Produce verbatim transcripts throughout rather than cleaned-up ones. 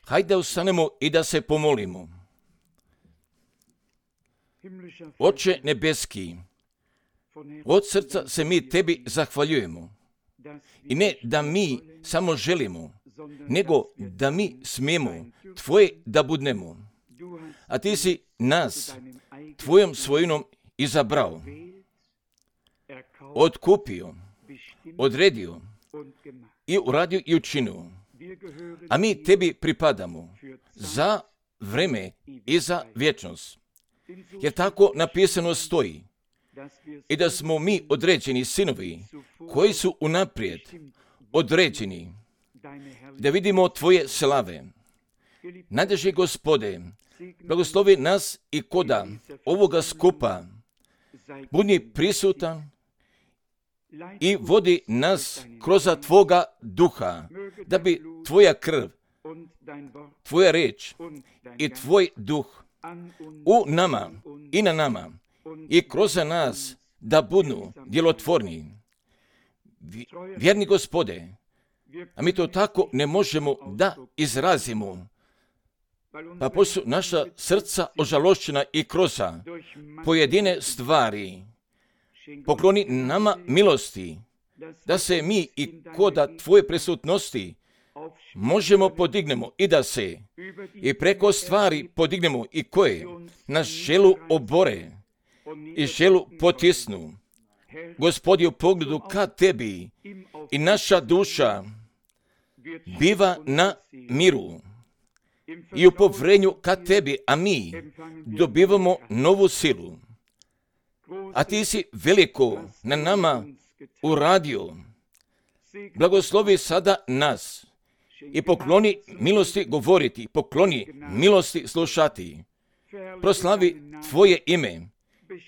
Hajde da ustanemo i da se pomolimo. Oče nebeski, od srca se mi tebi zahvaljujemo. I ne da mi samo želimo, nego da mi smijemo tvoje da budnemo. A ti si nas tvojom svojinom izabrao, otkupio, odredio i uradio i učinio. A mi tebi pripadamo za vreme i za vječnost. Jer tako napisano stoji. I da smo mi određeni sinovi koji su unaprijed određeni da vidimo tvoje slave. Najdraži Gospode, blagoslovi nas i koda ovoga skupa budi prisutan i vodi nas kroz tvoga duha, da bi tvoja krv, tvoja riječ i tvoj duh u nama i na nama i kroz nas da budu djelotvorni. Vjerni Gospode, a mi to tako ne možemo da izrazimo, pa pošto su naša srca ožalošćena i kroz pojedine stvari, pokloni nama milosti, da se mi i koda tvoje prisutnosti možemo podignemo i da se i preko stvari podignemo i koje nas želu obore i želu potisnu. Gospodi, u pogledu ka tebi i naša duša biva na miru i u povrenju ka tebi, a mi dobivamo novu silu. A ti si veliko na nama uradio. Blagoslovi sada nas i pokloni milosti govoriti, pokloni milosti slušati. Proslavi tvoje ime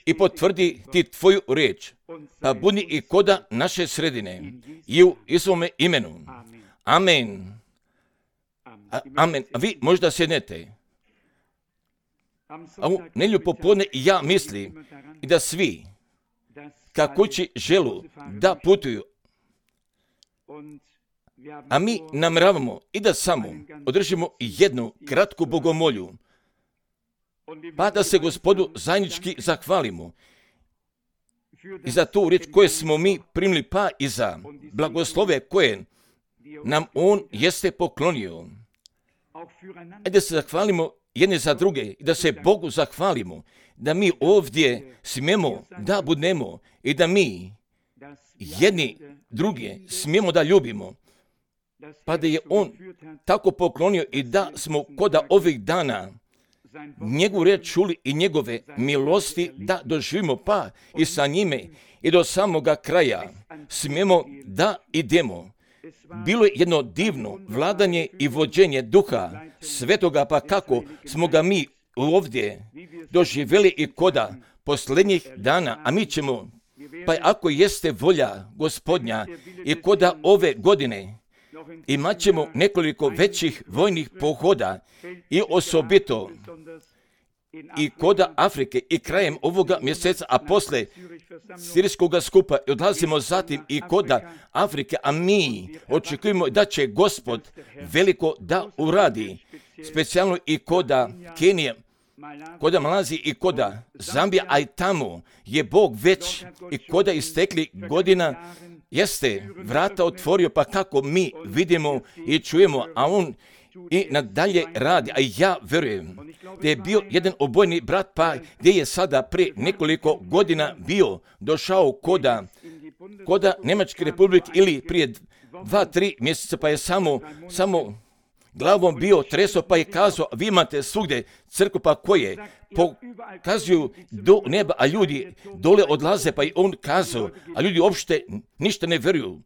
i potvrdi ti tvoju riječ, pa budi i koda naše sredine i u Isovome imenu. Amen. A, amen. A vi možda sjednete. A u nedjelju popodne ja mislim i da svi ka kući želu da putuju. A mi namjeravamo i da samo održimo jednu kratku bogomolju, pa da se Gospodu zajednički zahvalimo i za tu riječ koje smo mi primili, pa i za blagoslove koje nam On jeste poklonio. E da se zahvalimo jedne za druge i da se Bogu zahvalimo, da mi ovdje smijemo da budemo i da mi jedni druge smijemo da ljubimo, pa da je On tako poklonio i da smo koda ovih dana njegovu riječ čuli i njegove milosti da doživimo, pa i sa njime i do samoga kraja smijemo da idemo. Bilo je jedno divno vladanje i vođenje Duha Svetoga, pa kako smo ga mi ovdje doživjeli i koda posljednjih dana, a mi ćemo, pa ako jeste volja Gospodnja i koda ove godine, imat ćemo nekoliko većih vojnih pohoda i osobito i koda Afrike i krajem ovoga mjeseca, a posle sirijskog skupa odlazimo zatim i koda Afrike, a mi očekujemo da će Gospod veliko da uradi, specijalno i koda Kenije, koda Malazije i koda Zambija, a i tamo je Bog već i koda istekli godina jeste vrata otvorio, pa kako mi vidimo i čujemo, a On i nadalje radi, a ja verujem da je bio jedan obojni brat, pa gdje je sada prije nekoliko godina bio došao koda, koda Njemačke republike ili prije dva, tri mjeseca, pa je samo, samo glavom bio treso, pa je kazao, vi imate svugdje crkvu, pa koje pokazuju do neba, a ljudi dole odlaze, pa je on kazao, a ljudi uopšte ništa ne vjeruju.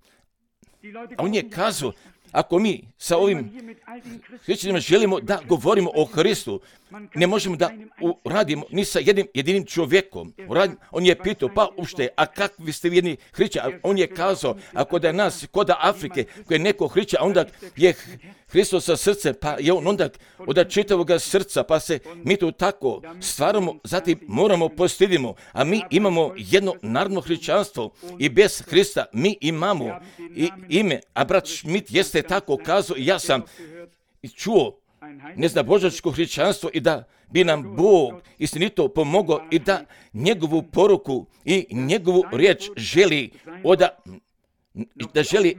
A on je kazao, ako mi sa ovim hrišćanima želimo da govorimo o Hristu, ne možemo da uradimo ni sa jednim jedinim čovjekom. On je pitao, pa uopšte, a kakvi ste vi jedni hrišćani? On je kazao, ako da je nas koda Afrike, koji je neko hrišćan, onda je Hristos sa srcem, pa je on onda od čitavoga srca, pa se mi to tako stvaramo, zatim moramo postidimo, a mi imamo jedno narodno hrišćanstvo i bez Hrista mi imamo i ime, a brat Schmidt jeste tako kazao i ja sam čuo neznabožačko hrišćanstvo i da bi nam Bog istinito pomogao i da njegovu poruku i njegovu riječ želi oda da želi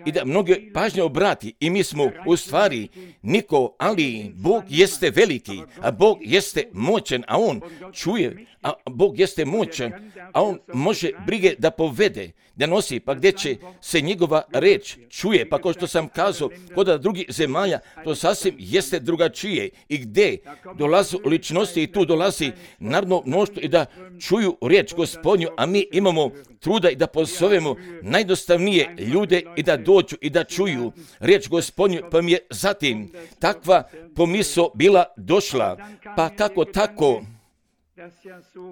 i da mnoge pažnje obrati i mi smo u stvari niko, ali Bog jeste veliki, a Bog jeste moćan, a On čuje, a Bog jeste moćan, a On može brige da povede, da nosi, pa gdje će se njegova reč čuje, pa kao što sam kazao, kod drugih zemalja, to sasvim jeste drugačije i gdje dolazu ličnosti i tu dolazi narodno mnoštvo i da čuju riječ Gospodnju, a mi imamo truda i da pozovemo najdostavnije ljude i da dođu i da čuju riječ Gospodnju, pa mi je zatim takva pomisao bila došla, pa kako tako,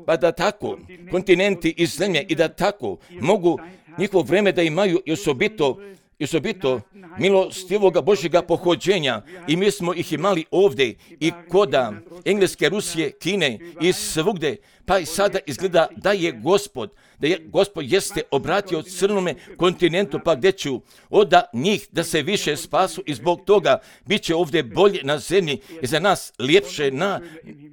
pa da tako kontinenti i zemlje i da tako mogu njihovo vreme da imaju i osobito, i osobito milostivoga Božjega pohođenja i mi smo ih imali ovdje i koda Engleske, Rusije, Kine i svugdje, pa i sada izgleda da je Gospod, da je Gospod jeste obratio crnome kontinentu, pa gdje ću oda njih da se više spasu i zbog toga bit će ovdje bolje na zemlji i za nas ljepše na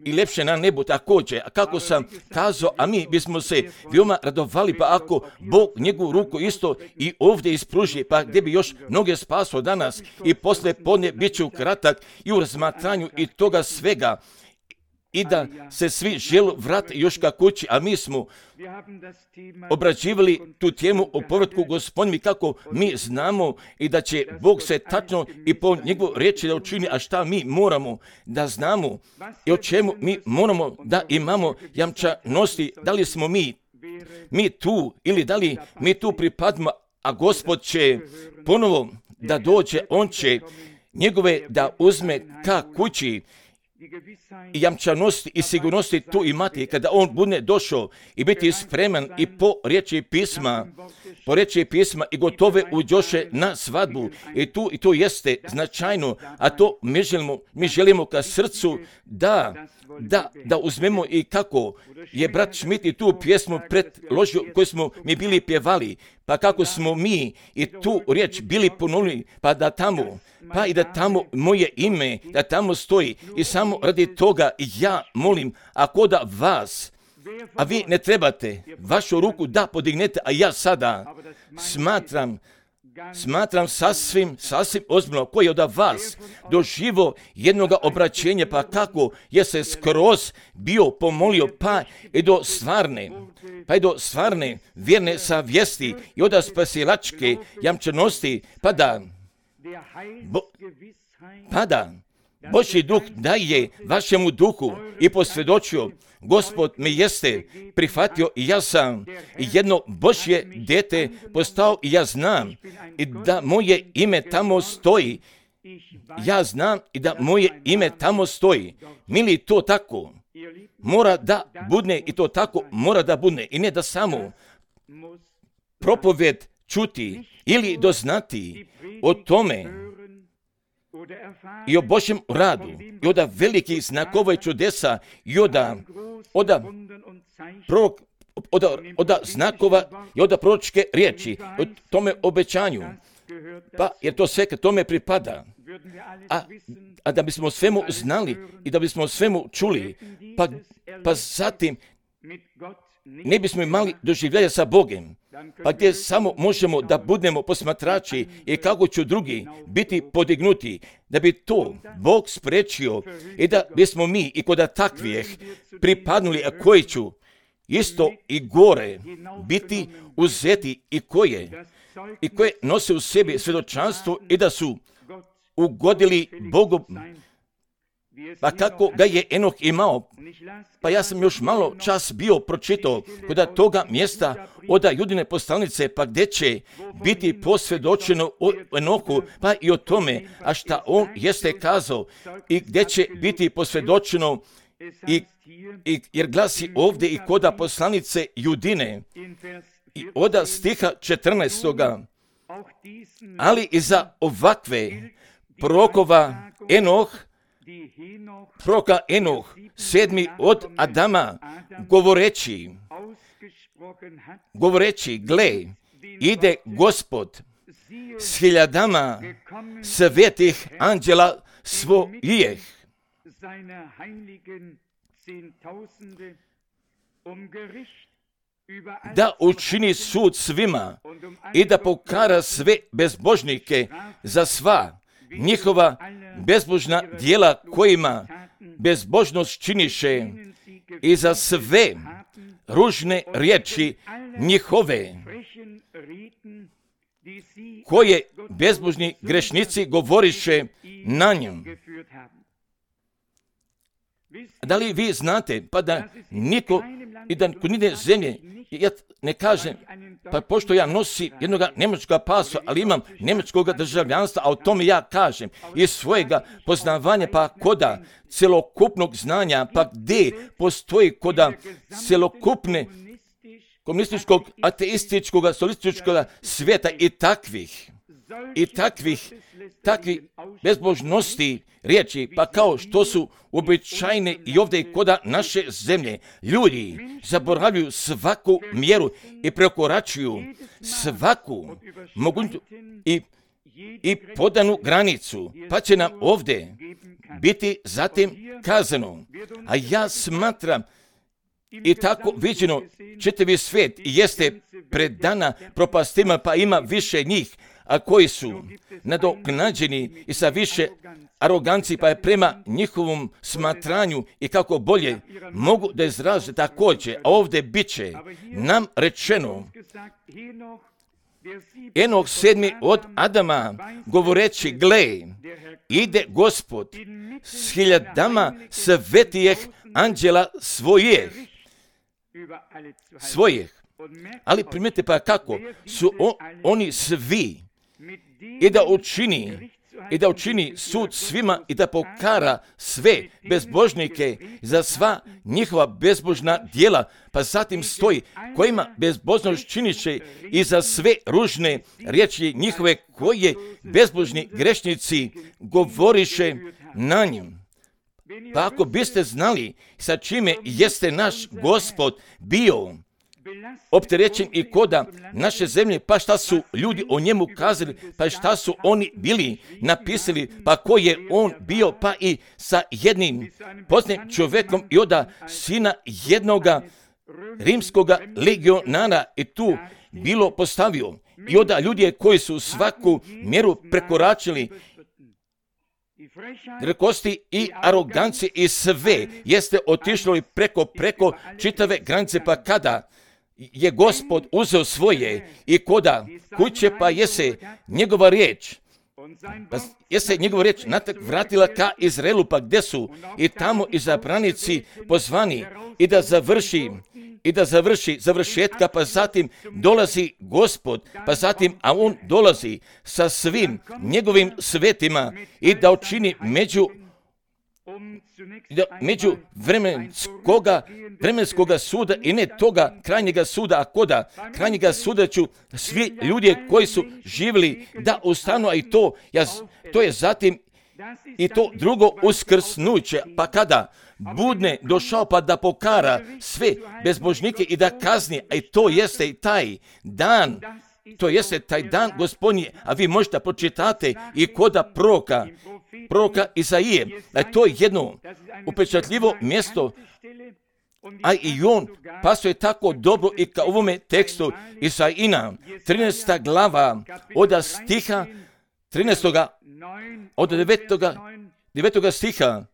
i ljepše na nebu također. A kako sam kazao, a mi bismo se veoma radovali, pa ako Bog njegovu ruku isto i ovdje ispruži, pa gdje bi još mnoge spaso danas i posle podne bit ću kratak i u razmatranju i toga svega i da se svi žele vratiti još ka kući, a mi smo obrađivali tu temu o povratku Gospodnji kako mi znamo i da će Bog se tačno i po njegovu riječi da učini, a šta mi moramo da znamo i o čemu mi moramo da imamo jamčanosti, da li smo mi, mi tu ili da li mi tu pripadamo, a Gospod će ponovo da dođe, On će njegove da uzme ka kući i jamčanosti i sigurnosti tu imati kada On bude došao i biti spreman i po riječi pisma, po riječi pisma i gotove uđoše na svadbu i tu i to jeste značajno, a to mi želimo, mi želimo ka srcu da, da, da uzmemo i kako je brat Schmidt i tu pjesmu predložio koju smo mi bili pjevali, pa kako smo mi i tu riječ bili ponovili, pa da tamo, pa i da tamo moje ime, da tamo stoji i samo radi toga ja molim, ako da vas, a vi ne trebate vašu ruku da podignete, a ja sada smatram, smatram sasvim, sasvim ozbiljno ko je od vas doživo jednoga obraćenja, pa kako je se skroz bio pomolio, pa i do stvarne, pa i do stvarne vjerne savjesti i od spasilačke jamčanosti, pa da, bo, pa da Božji duh daje vašemu duhu i posvjedočio, Gospod me jeste prihvatio i ja sam jedno Božje dete postao i ja znam i da moje ime tamo stoji. Ja znam i da moje ime tamo stoji. Mili, to tako mora da budne i to tako mora da budne i ne da samo propoved čuti ili doznati o tome i o Božjem radu i od velikih znakova i čudesa i od od prorok od, od znakova i od proročke riječi, o tome obećanju, pa jer to sve k tome pripada. A, a da bismo svemu znali i da bismo svemu čuli, pa, pa zatim ne bismo imali doživljaja sa Bogom, pa gdje samo možemo da budemo posmatrači i kako će drugi biti podignuti, da bi to Bog spriječio i da bismo mi i kod takvih pripadnuli, a koji ću isto i gore biti uzeti i koje, i koje nose u sebi svjedočanstvo i da su ugodili Bogu. Pa kako ga je Enoh imao, pa ja sam još malo čas bio pročitao kod toga mjesta od Judine poslanice, pa gdje će biti posvjedočeno o Enohu, pa i o tome, a šta on jeste kazao i gdje će biti posvjedočeno i, i jer glasi ovdje i kod poslanice Judine i od stiha četrnaestoga, ali i za ovakve prorokova Enoh, proroka Enoh, sedmi od Adama, govoreći, govoreći, gle, ide Gospod s hiljadama svetih anđela svojih, da učini sud svima i da pokara sve bezbožnike za sva njihova bezbožna djela kojima bezbožnost činiše i za sve ružne riječi njihove koje bezbožni grešnici govoriše na njom. Da li vi znate, pa da niko i da kod nide zemlje, ja ne kažem, pa pošto ja nosim jednog njemačkog pasa, ali imam njemačkog državljanstva, a o tome ja kažem iz svojega poznavanja, pa koda celokupnog znanja, pa gdje postoji koda celokupne komunističkog, ateističkog, solističkog svijeta i takvih, i takvih, takvih bezbožnosti riječi, pa kao što su uobičajene i ovdje i koda naše zemlje. Ljudi zaboravljaju svaku mjeru i prekoračuju svaku moguću i, i podanu granicu, pa će nam ovdje biti zatim kazano. A ja smatram i tako viđeno čitavi svijet jeste predana propastima, pa ima više njih, a koji su nadoknađeni i sa više aroganci, pa je prema njihovom smatranju i kako bolje mogu da izraze također, a ovdje bit će nam rečeno, Enoh sedmi od Adama, govoreći, gle, ide Gospod s hiljadama svetijih anđela svojih, svojih. Ali primijete pa kako su o, oni svi i da učini i da učini sud svima i da pokara sve bezbožnike za sva njihova bezbožna djela, pa zatim stoji kojima bezbožnost činiše i za sve ružne riječi njihove koje bezbožni grešnici govoriše na njim. Pa ako biste znali sa čime jeste naš Gospod bio opterećen i koda naše zemlje, pa šta su ljudi o njemu kazali, pa šta su oni bili napisali, pa ko je on bio, pa i sa jednim poznatim čovjekom i oda sina jednoga rimskoga legionara i tu bilo postavio. I oda ljudi koji su svaku mjeru prekoračili, rekosti i aroganci i sve jeste otišlo preko preko čitave granice, pa kada je Gospod uzeo svoje i koda kuće, pa jese njegova riječ, pa jese njegova riječ natak vratila ka Izraelu, pa gdje su i tamo izabranici pozvani i da završi i da završi završetka, pa zatim dolazi Gospod, pa zatim, a on dolazi sa svim njegovim svetima i da učini među da među vremenskoga, vremenskoga suda i ne toga krajnjega suda, a koda krajnjega suda ću svi ljudi koji su živjeli da ustanu, a i to, ja, to je zatim i to drugo uskrsnuće, pa kada budne došao pa da pokara sve bezbožnike i da kazni, a i to jeste i taj dan, to jeste taj dan Gospodnji, a vi možete pročitate i koda proroka, proroka Isaije, a to je jedno upečatljivo mjesto, a i on pasuje tako dobro i ka ovome tekstu Isaijina, trinaesta glava, od stiha trinaestoga od devetoga stiha,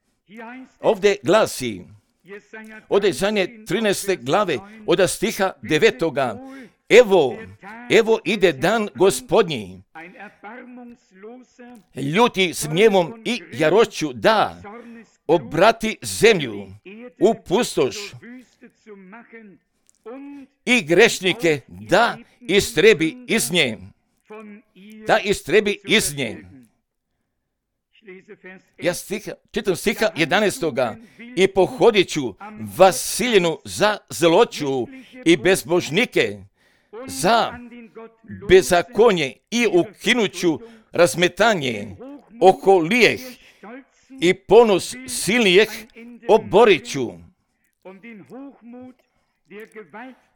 ovdje glasi, od Isaije trinaeste glave, od stiha devetoga, evo, evo ide dan Gospodnji, ljuti s gnjevom i jarošću da obrati zemlju u pustoš i grešnike da istrebi iz nje, da istrebi iz nje. Ja stiha, čitam stiha jedanaestoga i pohodit ću Vasiljenu za zloću i bezbožnike za bezakonje i ukinuću razmetanje oko lijeh i ponos silnijeh oborit ću.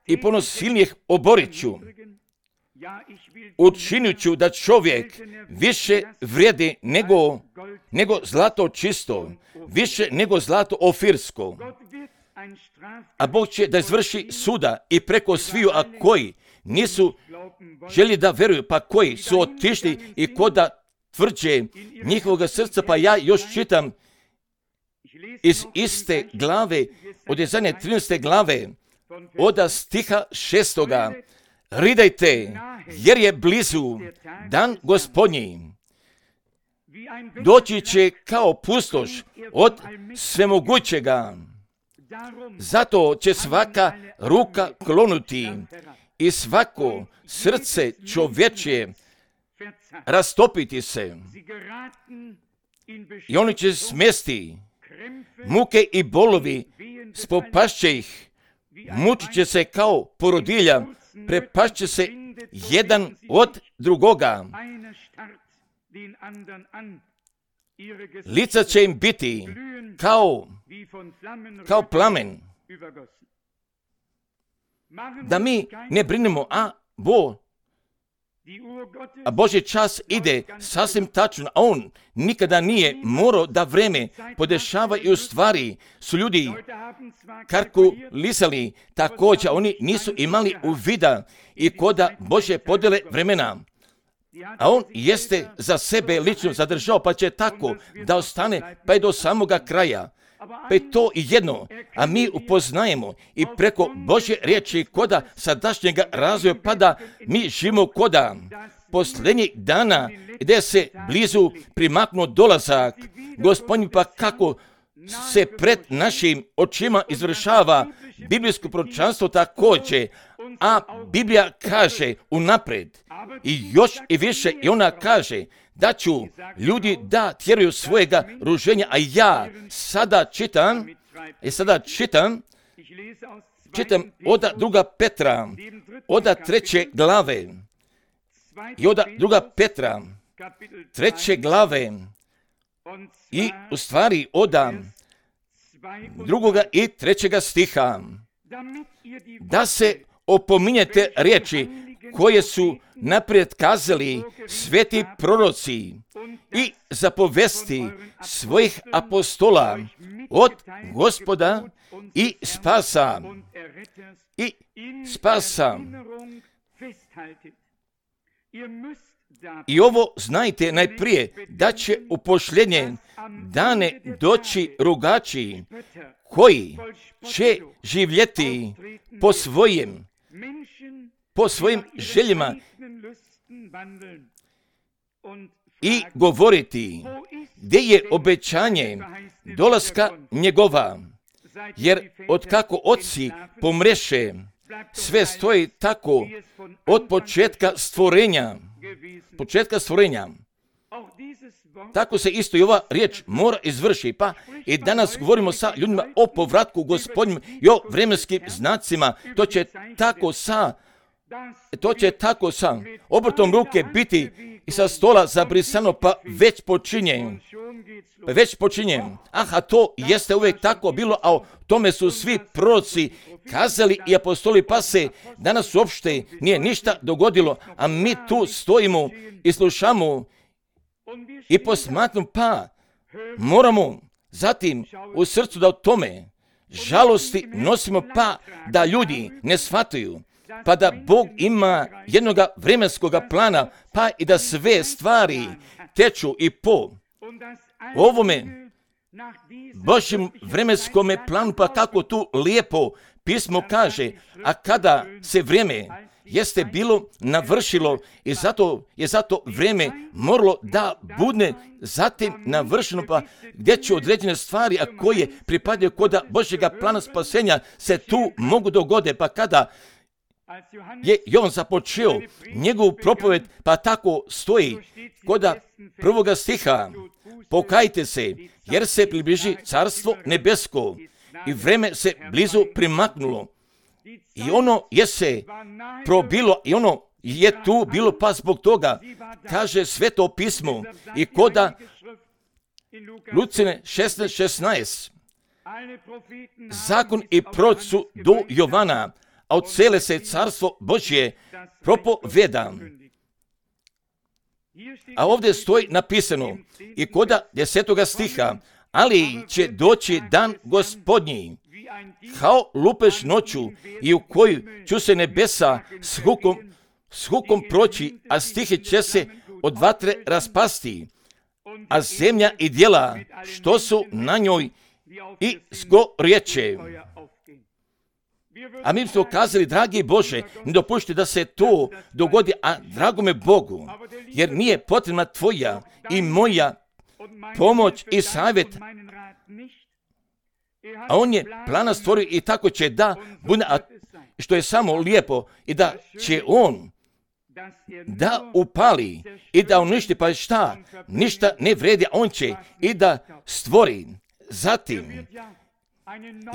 I ponos silnijeh oborit ću. učinit ću da čovjek više vrijedi nego, nego zlato čisto, više nego zlato ofirsko. A Bog će da izvrši suda i preko sviju, a koji nisu želi da veruju, pa koji su otišli i koda tvrđe njihovog srca, pa ja još čitam iz iste glave, od Jezanje trinaeste glave, od stiha šestoga. Ridajte, jer je blizu dan Gospodnji. Doći će kao pustoš od svemogućega. Zato će svaka ruka klonuti i svako srce čovječje rastopiti se. I oni će smesti, muke i bolovi spopašće ih, mučit će se kao porodilja, prepašće se jedan od drugoga. Lica će im biti kao, kao plamen. Da mi ne brinemo, a Bo, a Božji čas ide sasvim tačno, a on nikada nije morao da vreme podešava i u stvari su ljudi kalkulisali također, oni nisu imali uvida i koda Božje podjele vremena. A on jeste za sebe lično zadržao, pa će tako da ostane pa i do samoga kraja. Pa je to i jedno, a mi upoznajemo i preko Božje riječi koda sadašnjega razvoja, pa da mi živimo koda posljednjih dana gdje se blizu primaknuo dolazak Gospodin, pa kako se pred našim očima izvršava biblijsko proročanstvo također, a Biblija kaže unaprijed i još i više, i ona kaže da ću ljudi da tjeruju svojega ruženja, a ja sada čitam, i sada čitam, čitam od druga Petra, od treće glave, i od druga Petra, treće glave, i u stvari od drugoga i trećega stiha, da se opominjete riječi koje su naprijed kazali sveti proroci i zapovesti svojih apostola od Gospoda i spasa i spasa. I ovo znajte najprije, da će u posljednje dane doći rugači koji će živjeti po svojim po svojim željama i govoriti gdje je obećanje dolaska njegova, jer od kako oci pomreše, sve stoji tako od početka stvorenja, početka stvorenja. Tako se isto i ova riječ mora izvrši, pa i danas govorimo sa ljudima o povratku Gospodnjem i o vremenskim znacima. To će tako sa To će tako sa obrtom ruke biti i sa stola zabrisano, pa već počinje. Pa već počinje. Aha, to jeste uvijek tako bilo, a o tome su svi proroci kazali i apostoli, pa se danas uopšte nije ništa dogodilo, a mi tu stojimo i slušamo i posmatramo, pa moramo zatim u srcu da o tome žalosti nosimo, pa da ljudi ne shvataju, pa da Bog ima jednoga vremenskog plana, pa i da sve stvari teču i po ovome Božjem vremenskom planu, pa kako tu lijepo pismo kaže, a kada se vrijeme jeste bilo navršilo i zato je zato vrijeme moralo da bude zatim navršeno, pa gdje će određene stvari, a koje pripadaju koda Božjega plana spasenja, se tu mogu dogode, pa kada je Jovan započeo njegovu propoved, pa tako stoji koda prvoga stiha, pokajte se, jer se približi carstvo nebesko i vreme se blizu primaknulo. I ono je se probilo i ono je tu bilo, pa zbog toga kaže Sveto pismo i koda Lucine šesnaest šesnaest. Zakon i proroci su do Jovana, a od cele se carstvo Božje propoveda. A ovdje stoji napisano i koda desetoga stiha, ali će doći dan Gospodnji, kao lupež noću, i u koju ću se nebesa s hukom, s hukom proći, a stihe će se od vatre raspasti, a zemlja i djela što su na njoj i zgorjeće. A mi smo kazali, dragi Bože, ne dopušti da se to dogodi, a dragome Bogu, jer nije potrebna tvoja i moja pomoć i savjet, a on je plana stvorio i tako će da bude, a što je samo lijepo, i da će on da upali i da uništi, pa šta? Ništa ne vredi, on će i da stvori. Zatim,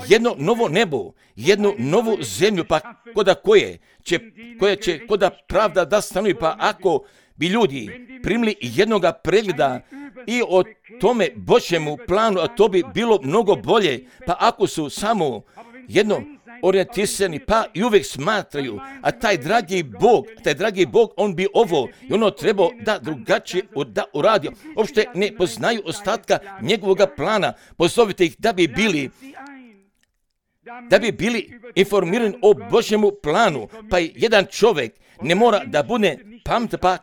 jedno novo nebo, jednu novu zemlju, pa koda koje će, koja će koda pravda da stanuje, pa ako bi ljudi primili jednoga pregleda i o tome Božjemu planu, a to bi bilo mnogo bolje, pa ako su samo jedno orijentisani, pa i uvijek smatraju, a taj dragi Bog, taj dragi Bog, on bi ovo i ono trebao da drugačije da uradio. Uopšte ne poznaju ostatka njegovog plana. Pozovite ih da bi bili da bi bili informirani o Božjemu planu, pa i jedan čovjek ne mora da bude pametan, pa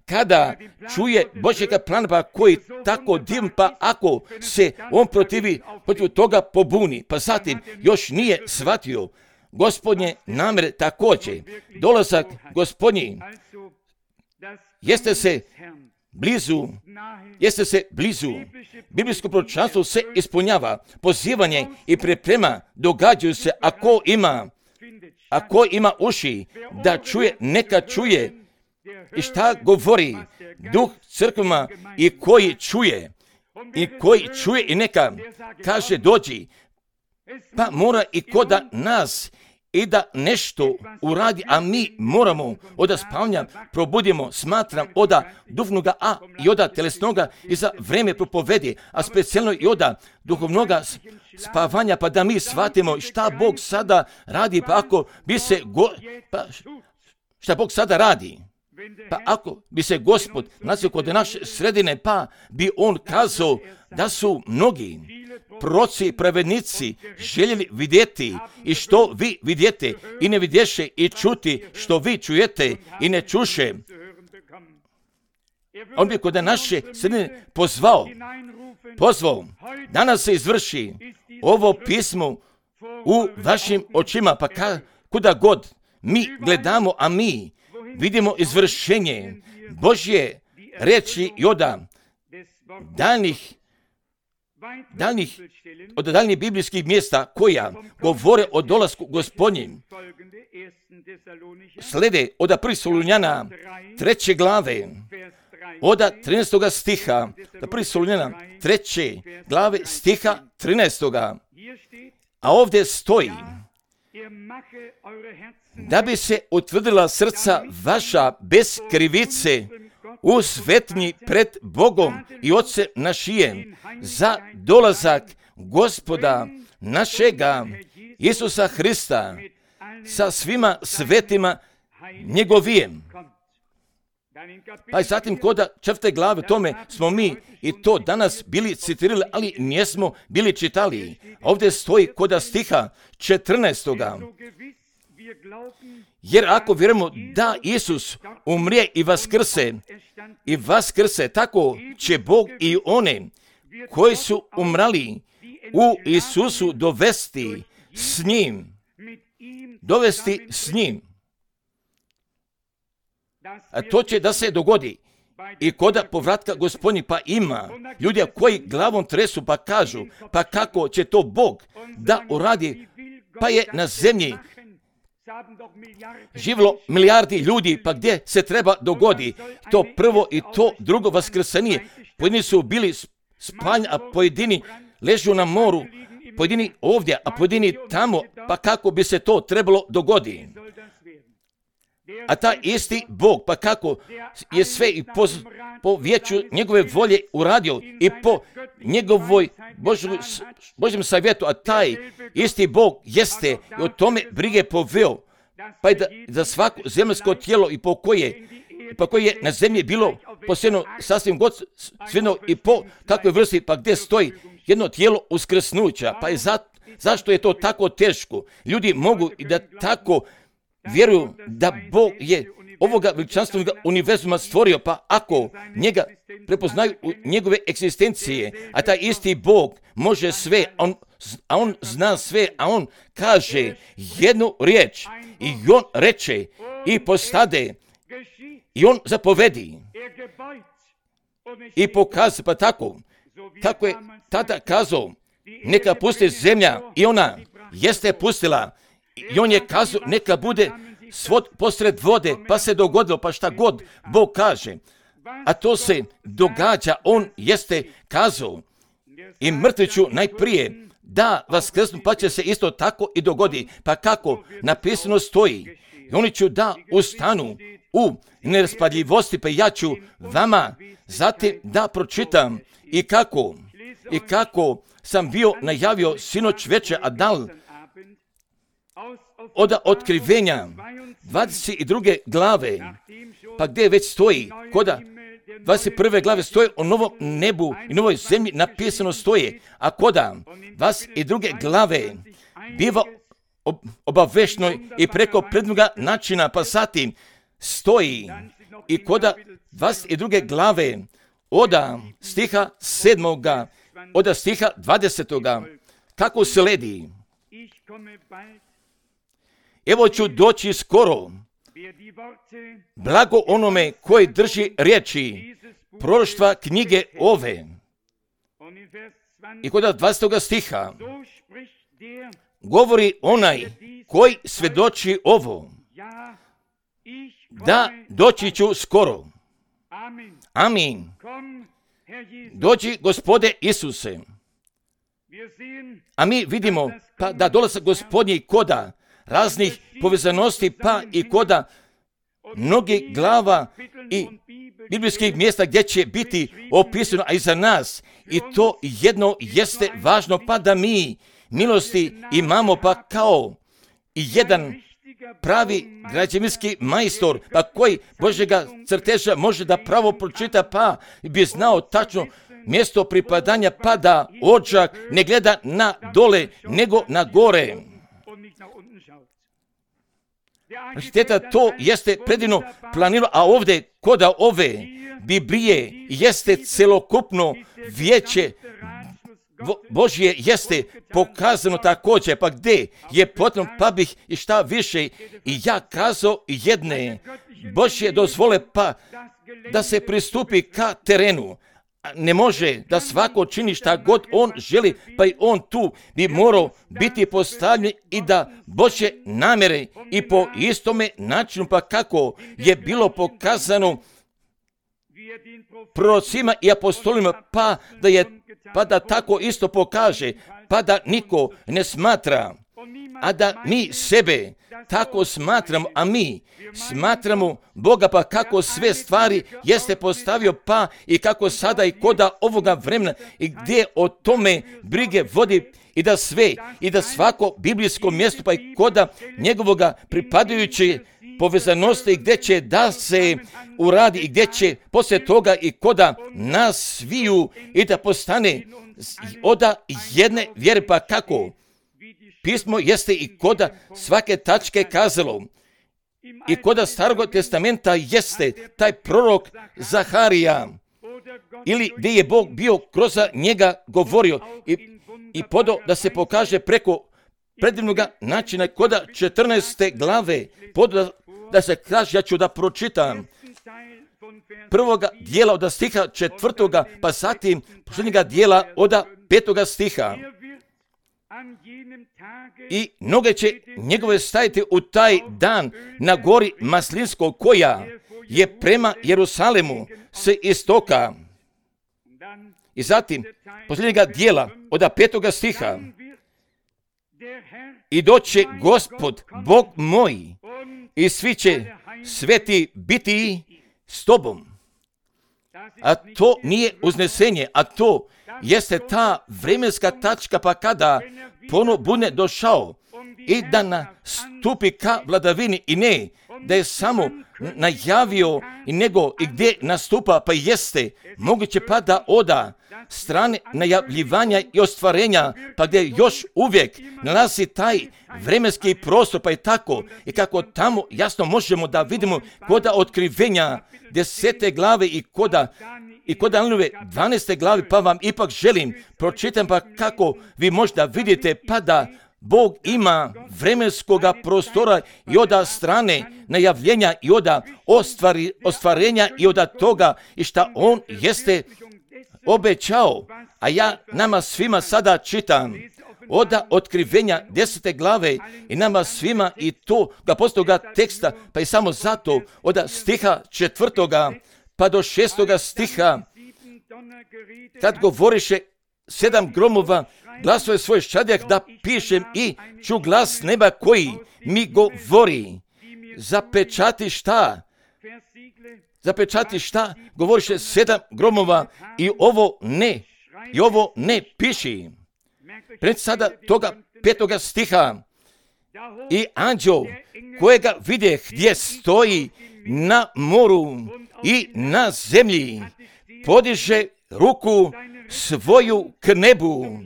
kada čuje Božjega plana, pa koji tako divan, pa ako se on protivi, protiv toga pobuni, pa zatim još nije shvatio Gospodnje namere također. Dolazak Gospodnji jeste se blizu, jeste se blizu. Biblijsko proročanstvo se ispunjava, pozivanje i priprema događaju se, ako ima, ako ima uši da čuje, neka čuje. I šta govori Duh crkvama i koji čuje, i koji čuje i neka kaže dođi, pa mora i koda nas i da nešto uradi, a mi moramo oda spavanja probudimo, smatram, oda duhovnoga, a i oda telesnoga i za vreme propovedi, a specijalno i oda duhovnoga spavanja, pa da mi shvatimo šta Bog sada radi, pa ako bi se, go, pa šta Bog sada radi. Pa ako bi se Gospod nacio kod naše sredine, pa bi on kazao da su mnogi proroci i pravednici željeli vidjeti i što vi vidjete i ne vidješe, i čuti što vi čujete i ne čuše. On bi kod naše sredine pozvao, pozvao, danas se izvrši ovo pismo u vašim očima, pa ka, kuda god mi gledamo, a mi vidimo izvršenje Božje reči i oda daljnih, daljnih, od daljnih biblijskih mjesta koja govore o dolasku Gospodnjim. Slede od prvog Solunjana treće glave, od trinaestoga stiha, prvog Solunjana treće glave stiha trinaestoga. A ovdje stoji, da bi se utvrdila srca vaša bez krivice u svetnji pred Bogom i Otcem našijem za dolazak Gospoda našega Isusa Hrista sa svima svetima njegovijem. Pa i zatim koda četvrte glave tome smo mi i to danas bili citirali, ali nismo bili čitali. Ovdje stoji koda stiha četrnaestoga. Jer ako vjerujemo da Isus umrije i vaskrse, i vaskrse, tako će Bog i one koji su umrali u Isusu dovesti s njim. Dovesti s njim. A to će da se dogodi i koda povratka Gospodnji, pa ima ljudi koji glavom tresu pa kažu, pa kako će to Bog da uradi, pa je na zemlji živjelo milijardi ljudi, pa gdje se treba dogodi to prvo i to drugo vaskrsenje. Pojedini su bili spalj, a pojedini ležu na moru, pojedini ovdje, a pojedini tamo, pa kako bi se to trebalo dogoditi? A ta isti Bog, pa kako je sve i po, po vijeću njegove volje uradio i po njegovoj Božoj, Božjem savjetu, a taj isti Bog jeste i o tome brige poveo, pa i da, za svako zemljsko tijelo i po koje, pa koje je na zemlji bilo posebno sasvim god svjedno i po takvoj vrsti, pa gdje stoji jedno tijelo uskrsnuća, pa je za, zašto je to tako teško? Ljudi mogu i da tako vjeruju da Bog je ovoga veličanstvenog univerzuma stvorio, pa ako njega prepoznaju u njegove egzistencije, a taj isti Bog može sve, on, a on zna sve, a on kaže jednu riječ i on reče i postade i on zapovedi i pokazuje, pa tako, tako je tada kazao, neka pusti zemlja i ona jeste pustila. I on je kazao, neka bude svod posred vode, pa se dogodilo, pa šta god Bog kaže. A to se događa, on jeste kazao. I mrtviću najprije da vaskrsnu, pa će se isto tako i dogodi. Pa kako napisano stoji, i oni ću da ustanu u neraspadljivosti, pa ja ću vama zatim da pročitam i kako, i kako sam bio najavio sinoć večer, a dal od otkrivenja dvadeset druge glave, pa gdje već stoji, koda dvadeset prve glave stoji o novom nebu i novoj zemlji napisano stoje, a koda dvadeset druge glave biva obavešnoj i preko prednoga načina, pa zatim stoji i koda dvadeset druge glave oda stiha sedmoga, oda stiha dvadesetoga, kako sledi. Evo ću doći skoro, blago onome koji drži riječi proroštva knjige ove. I kod dvadesetog stiha govori onaj koji svjedoči ovo, da doći ću skoro. Amin. Dođi, Gospode Isuse. A mi vidimo pa da dolazi Gospodnji koda raznih povezanosti, pa i koda mnogih glava i biblijskih mjesta gdje će biti opisano, a i za nas. I to jedno jeste važno, pa da mi milosti imamo, pa kao i jedan pravi građevinski majstor, pa koji Božjega crteža može da pravo pročita, pa bi znao tačno mjesto pripadanja, pa da ođak ne gleda na dole, nego na gore. Šteta, to jeste predivno planirano, a ovdje koda ove Biblije jeste celokupno vijeće Božje jeste pokazano također, pa gdje je potrebno, pa bih i šta više i ja kazao jedne Božje dozvole, pa da se pristupi ka terenu. Ne može da svako čini šta god on želi, pa i on tu bi morao biti postavljen i da Božje namjere i po istome načinu, pa kako je bilo pokazano prorocima i apostolima, pa da je pa da tako isto pokaže, pa da niko ne smatra, a da mi sebe tako smatramo, a mi smatramo Boga, pa kako sve stvari jeste postavio, pa i kako sada i koda ovoga vremena i gdje o tome brige vodi i da sve, i da svako biblijsko mjesto, pa i koda njegovoga pripadajuće povezanosti i gdje će da se uradi i gdje će poslije toga i koda nas sviju i da postane oda jedne vjere, pa kako pismo jeste i koda svake tačke kazalo i koda Starog testamenta jeste taj prorok Zaharija ili gdje je Bog bio kroz njega govorio i, i podao da se pokaže preko predivnog načina koda četrnaeste glave podao da se kaže, ja ću da pročitam prvoga dijela od stiha četvrtoga, pa zatim posljednjega dijela od petoga stiha. I noge će njegove staviti u taj dan na gori Maslinskog, koja je prema Jerusalemu s istoka. I zatim posljednjega dijela od petoga stiha. I doće Gospod, Bog moj, i svi će sveti biti s tobom. A to nije uznesenje, a to jeste ta vremenska tačka, pa kada ponovo bude došao i da nastupi ka vladavini, i ne da je samo najavio i nego i gdje nastupa, pa jeste moguće pa da oda strane najavljivanja i ostvarenja, pa gdje još uvijek nalazi taj vremenski prostor, pa je tako i kako tamo jasno možemo da vidimo koda otkrivenja desete glave i koda i kod Danielove dvanaeste glavi, pa vam ipak želim pročitam pa kako vi možda vidite pa da Bog ima vremenskoga prostora i oda strane najavljenja i oda ostvari, ostvarenja i oda toga i šta on jeste obećao. A ja nama svima sada čitam oda otkrivenja desete glave i nama svima i to ga postoga teksta, pa i samo zato oda stiha četvrtoga pa do šestoga stiha, kad govoriše sedam gromova, glasove svoj šadjak da pišem i ču glas neba koji mi govori. Zapečati šta? Zapečati šta? Govoriše sedam gromova i ovo ne, i ovo ne piši. Pred sada toga petoga stiha i anđeo kojega vidjeh gdje stoji na moru i na zemlji, podiže ruku svoju k nebu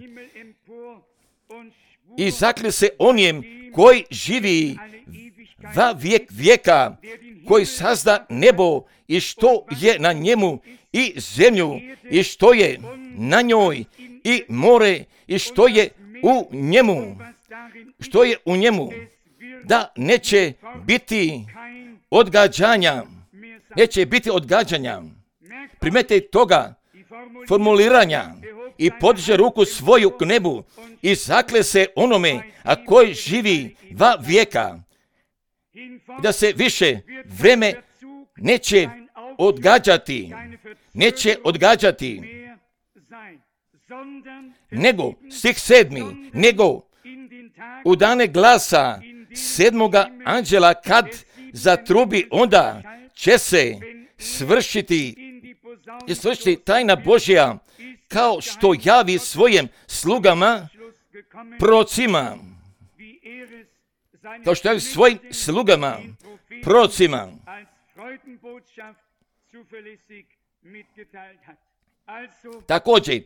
i zaklje se onijem koji živi va vijek vijeka, koji sazda nebo i što je na njemu i zemlju i što je na njoj i more i što je u njemu, što je u njemu, da neće biti odgađanja, neće biti odgađanja. Primete toga formuliranja i podiže ruku svoju k nebu i zakle se onome, a koji živi va vijeka, da se više vreme neće odgađati, neće odgađati, nego, stih sedmi, nego u dane glasa sedmoga anđela kad zatrubi, onda će se svršiti i svršiti tajna Božja, kao što javi svojim slugama prorocima, kao što javi svojim slugama prorocima. Također,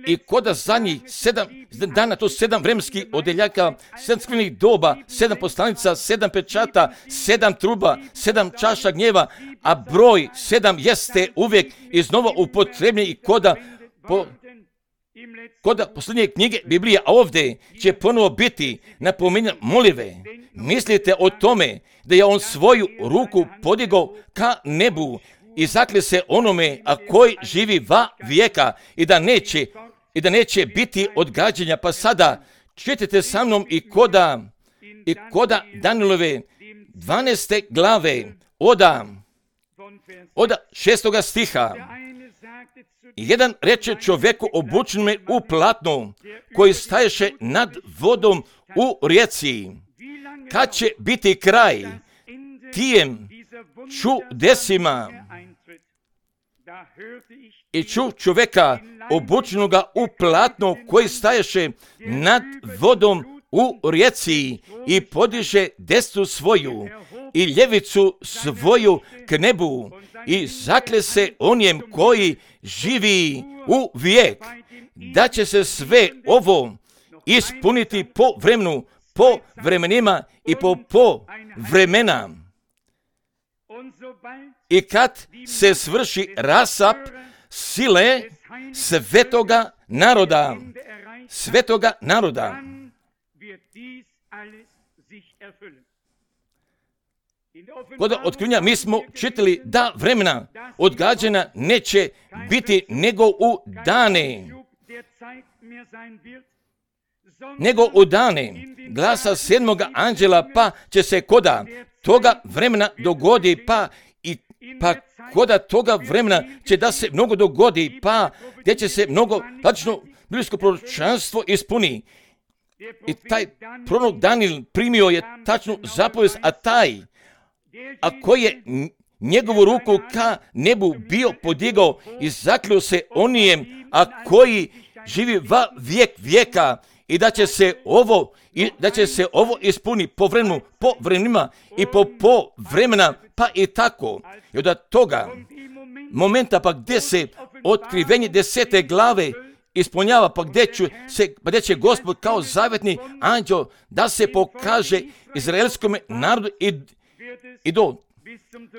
i koda zadnjih sedam dana, to sedam vremenskih odeljaka, sedam skrivnih doba, sedam poslanica, sedam pečata, sedam truba, sedam čaša gnjeva, a broj sedam jeste uvijek iznova upotrebljen i koda, po, koda posljednje knjige Biblije, a ovdje će ponovo biti napominjan molive. Mislite o tome da je on svoju ruku podigao ka nebu i zakle se onome, a koji živi va vijeka i da neće, i da neće biti odgađanja. Pa sada čitajte sa mnom i koda, i koda Danielove dvanaeste glave, oda, oda šestoga stiha. Jedan reče čovjeku obučenome u platno, koji staješe nad vodom u rijeci, kad će biti kraj tijem čudesima. I ču čovjeka obučenoga u platno, koji staješe nad vodom u rijeci i podiže desnu svoju i ljevicu svoju k nebu i zakle se onijem koji živi u vijek, da će se sve ovo ispuniti po vremenu, po vremenima i po, po vremena. I kad se svrši rasap sile svetoga naroda, svetoga naroda, kod otkrivenja mi smo čitali da vremena odgađanja neće biti nego u dane, nego u dane glasa sedmoga anđela, pa će se koda toga vremena dogodi, pa i pa koda toga vremena će da se mnogo dogodi, pa gdje će se mnogo tačno biblijsko proročanstvo ispuni. I taj prorok Daniel primio je tačnu zapovijest, a taj a koji je njegovu ruku ka nebu bio podigao i zakleo se onijem, a koji živi va vijek vijeka, i da će se ovo i da će se ovo ispuni po vremenu, po vremenima i po po vremena, pa i tako. I od toga momenta pa gdje se otkrivenje desete glave ispunjava, pa gdje će, se, pa gdje će Gospod kao zavetni anđeo da se pokaže izraelskom narodu i, i do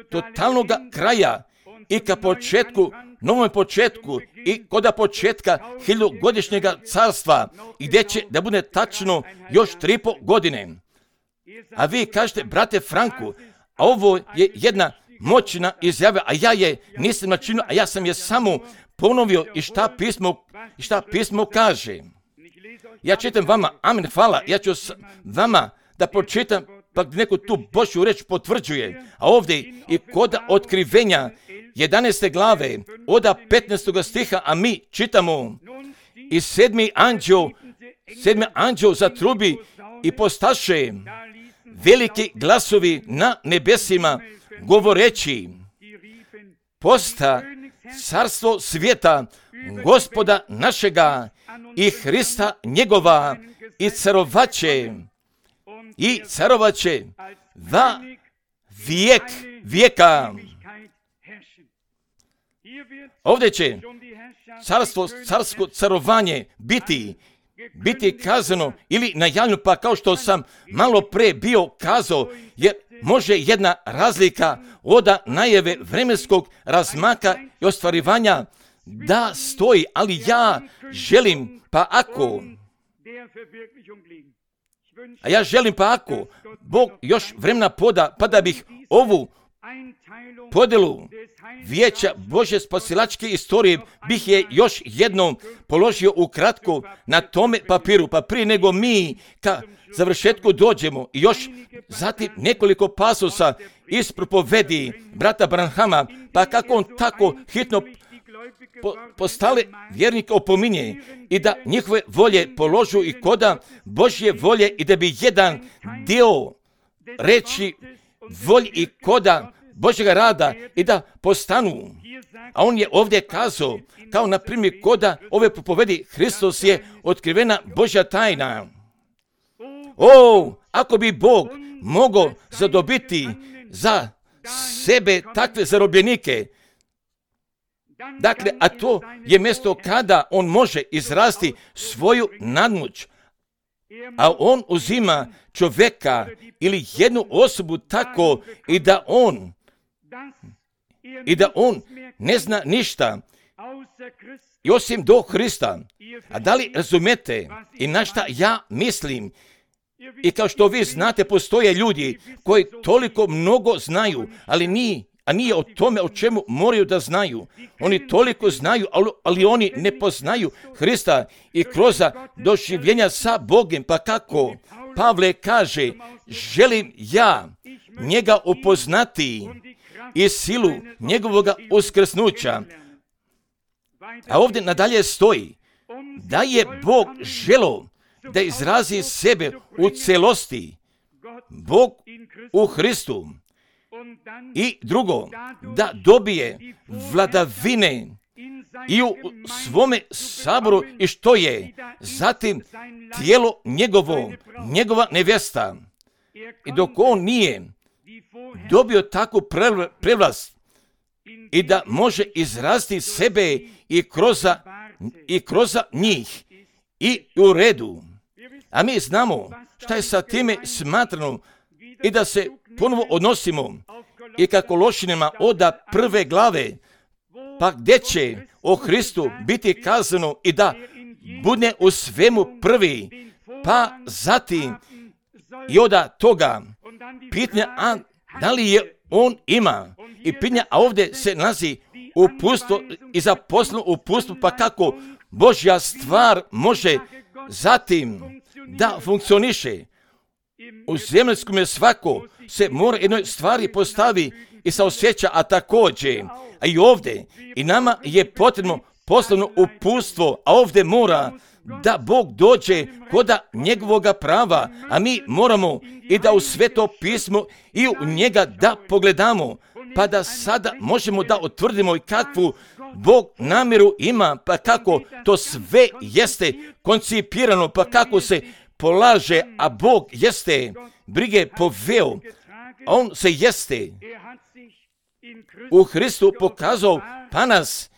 totalnog kraja i ka početku, novom početku i kod početka hiljadugodišnjeg carstva, gdje će da bude tačno još tri po godine. A vi kažete, brate Franku, a ovo je jedna moćna izjava, a ja je nisam načinio, a ja sam je samo ponovio i šta pismo, i šta pismo kaže. Ja čitam vama, amen, hvala, ja ću vama da pročitam, pa neko tu Božju reč potvrđuje. A ovdje i kod otkrivenja jedanaeste glave, od petnaestog stiha, a mi čitamo, i sedmi anđeo, sedmi anđeo zatrubi i postaše veliki glasovi na nebesima, govoreći, posta carstvo svijeta, Gospoda našega i Hrista njegova, i carovaće, i carovaće va vijek vijeka. Ovdje će carstvo, carsko carovanje biti, biti kazano ili najavljeno, pa kao što sam malo pre bio kazao, jer može jedna razlika od najave vremenskog razmaka i ostvarivanja da stoji, ali ja želim, pa ako, a ja želim pa ako Bog još vremena poda, pa da bih ovu podelu vijeća Božje spasilačke istorije bih je još jednom položio ukratko na tome papiru, pa prije nego mi ka završetku dođemo i još zatim nekoliko pasosa iz propovedi brata Branhama, pa kako on tako hitno po, postale vjernike opominje i da njihove volje položu i koda Božje volje i da bi jedan dio reći volji i koda Božjega rada i da postanu. A on je ovdje kazao, kao na primjer koda ove propovedi, Hristos je otkrivena Božja tajna. O, ako bi Bog mogao zadobiti za sebe takve zarobljenike, dakle, a to je mjesto kada on može izrasti svoju nadmoć, a on uzima čovjeka ili jednu osobu tako i da on i da on ne zna ništa i osim do Hrista. A da li razumete i na šta ja mislim? I kao što vi znate, postoje ljudi koji toliko mnogo znaju, ali nije, a nije o tome o čemu moraju da znaju. Oni toliko znaju, ali, ali oni ne poznaju Hrista i kroz doživljenja sa Bogom. Pa kako Pavle kaže, želim ja njega upoznati i silu njegovog uskrsnuća. A ovdje nadalje stoji da je Bog želeo da izrazi sebe u celosti, Bog u Hristu. I drugo, da dobije vladavine i u svome saboru i što je zatim tijelo njegovo, njegova nevjesta. I dok on nije dobio takvu prevlast i da može izraziti sebe i kroz, i kroz njih i u redu. A mi znamo šta je sa time smatrano i da se ponovo odnosimo i kako Lošinima od prve glave, pa gdje će o Hristu biti kazano i da bude u svemu prvi, pa zatim i od toga pitanja, a da li je on ima i pitanja, a ovdje se nalazi upustvo i zaposleno upustvo, pa kako Božja stvar može zatim da funkcioniše. U zemaljskom je svako se mora jednoj stvari postavi i saosjeća, a također, a i ovdje, i nama je potrebno poslano uputstvo, a ovdje mora da Bog dođe koda njegovoga prava, a mi moramo i da u Sveto pismo i u njega da pogledamo, pa da sada možemo da utvrdimo i kakvu Bog namjeru ima, pa kako to sve jeste koncipirano, pa kako se polaže, a Bog jeste brige poveo, a on se jeste u Hristu pokazao, pa nas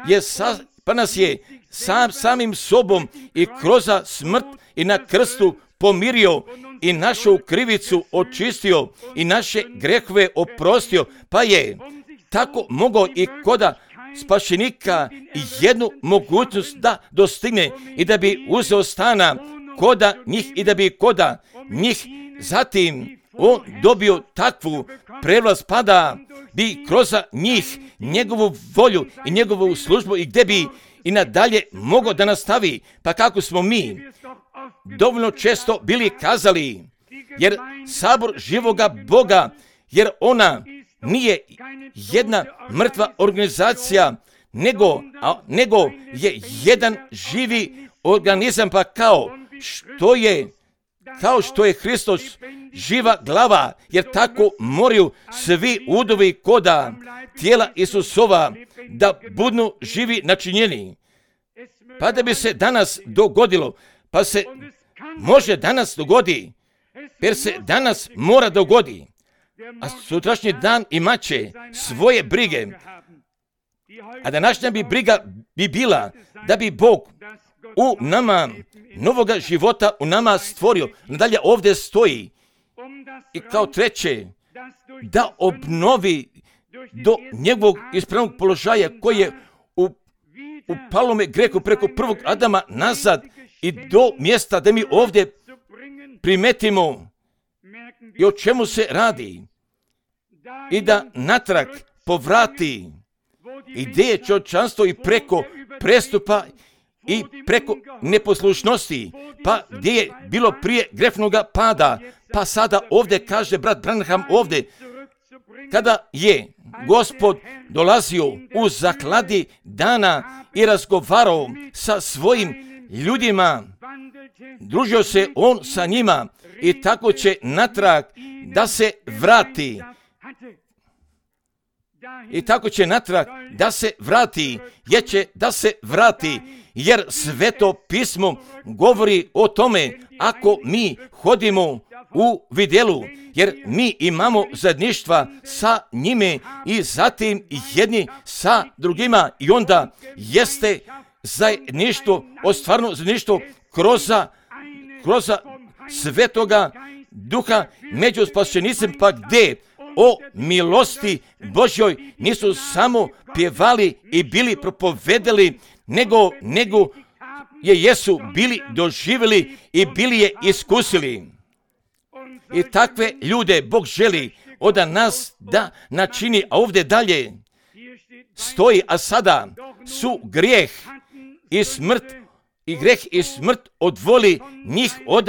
je, sa, pa nas je sam, samim sobom i kroz smrt i na krstu pomirio i našu krivicu očistio i naše grehove oprostio, pa je tako mogao i koda spašenika jednu mogućnost da dostigne i da bi uzeo stana koda njih i da bi koda njih zatim on dobio takvu prevlast, pa da bi kroz njih njegovu volju i njegovu službu i gdje bi i nadalje mogao da nastavi, pa kako smo mi dovoljno često bili kazali, jer sabor živoga Boga, jer ona nije jedna mrtva organizacija, nego, a, nego je jedan živi organizam, pa kao što je kao što je Hristos živa glava, jer tako moraju svi udovi koda tijela Isusova da budu živi načinjeni. Pa da bi se danas dogodilo, pa se može danas dogodi, jer se danas mora dogodi, a sutrašnji dan imat će svoje brige, a današnja bi briga bi bila da bi Bog u nama novoga života u nama stvorio. Nadalje ovdje stoji i kao treće da obnovi do njegovog ispravnog položaja koji je u, u palome grehu preko prvog Adama nazad i do mjesta da mi ovdje primetimo i o čemu se radi i da natrag povrati i gdje je čovječanstvo i preko prestupa i preko neposlušnosti, pa gdje je bilo prije grešnoga pada, pa sada ovdje kaže brat Branham ovdje, kada je Gospod dolazio u zakladi dana i razgovarao sa svojim ljudima, družio se on sa njima i tako će natrag da se vrati. I tako će natrag da se vrati, jer će da se vrati, jer Sveto pismo govori o tome ako mi hodimo u vidjelu, jer mi imamo zajedništva sa njime i zatim jedni sa drugima i onda jeste zajedništvo, ostvarno zajedništvo kroz, kroz Svetoga Duha među spašenicima, pa gdje o milosti Božjoj nisu samo pjevali i bili propovedali, nego, nego je jesu bili doživjeli i bili je iskusili. I takve ljude Bog želi od nas da načini, a ovdje dalje stoji, a sada su grijeh i smrt i greh i smrt odvoli njih od